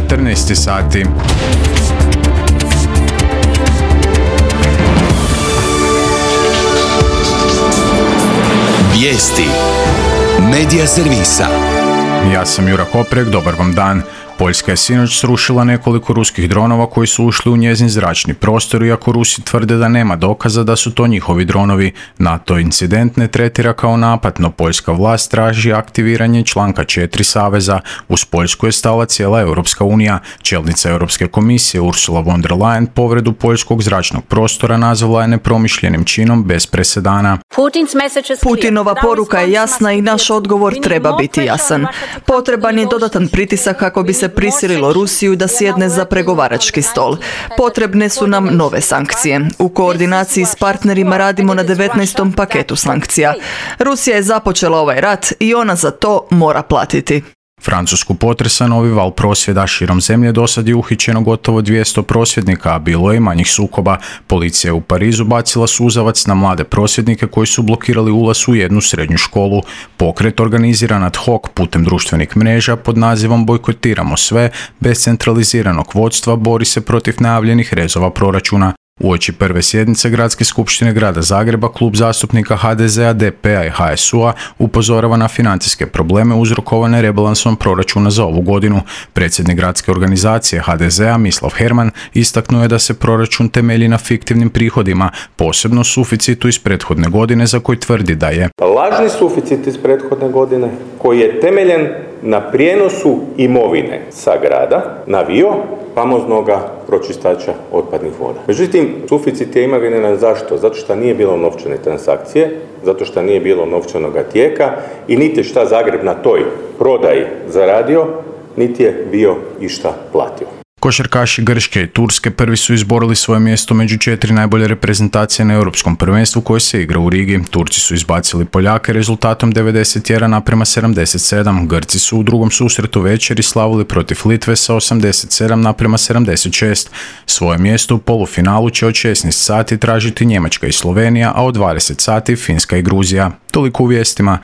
14 sati. Vijesti Medija servisa. Ja sam Jura Koprek, dobar vam dan. Poljska je sinoć srušila nekoliko ruskih dronova koji su ušli u njezin zračni prostor, iako Rusi tvrde da nema dokaza da su to njihovi dronovi. NATO incident ne tretira kao napad, no poljska vlast traži aktiviranje članka 4 saveza. Uz Poljsku je stala cijela Europska unija. Čelnica Europske komisije Ursula von der Leyen povredu poljskog zračnog prostora nazvala je nepromišljenim činom bez presedana. Putinova poruka je jasna i naš odgovor treba biti jasan. Potreban je dodatan pritisak kako bi se prisililo Rusiju da sjedne za pregovarački stol. Potrebne su nam nove sankcije. U koordinaciji s partnerima radimo na 19. paketu sankcija. Rusija je započela ovaj rat i ona za to mora platiti. Francusku potresa novi val prosvjeda. Širom zemlje dosad je uhićeno gotovo 200 prosvjednika, a bilo je i manjih sukoba. Policija je u Parizu bacila suzavac na mlade prosvjednike koji su blokirali ulaz u jednu srednju školu. Pokret organiziran ad hoc putem društvenih mreža pod nazivom Bojkotiramo sve, bez centraliziranog vodstva bori se protiv najavljenih rezova proračuna. Uoči prve sjednice Gradske skupštine grada Zagreba, klub zastupnika HDZ-a, DP-a i HSU-a upozorava na financijske probleme uzrokovane rebalansom proračuna za ovu godinu. Predsjednik gradske organizacije HDZ-a Mislav Herman istaknuo je da se proračun temelji na fiktivnim prihodima, posebno suficitu iz prethodne godine za koji tvrdi da je lažni suficit iz prethodne godine koji je temeljen na prijenosu imovine sa grada na VIO, famoznoga pročistača otpadnih voda. Međutim, suficit je imaginaran zašto? Zato što nije bilo novčane transakcije, zato što nije bilo novčanoga tijeka i niti šta Zagreb na toj prodaji zaradio, niti je bio išta platio. Košarkaši Grčke i Turske prvi su izborili svoje mjesto među 4 najbolje reprezentacije na Europskom prvenstvu koje se igra u Rigi. Turci su izbacili Poljake rezultatom 91:77. Grci su u drugom susretu večeri slavili protiv Litve sa 87:76. Svoje mjesto u polufinalu će od 16 sati tražiti Njemačka i Slovenija, a od 20 sati Finska i Gruzija. Toliko u vijestima.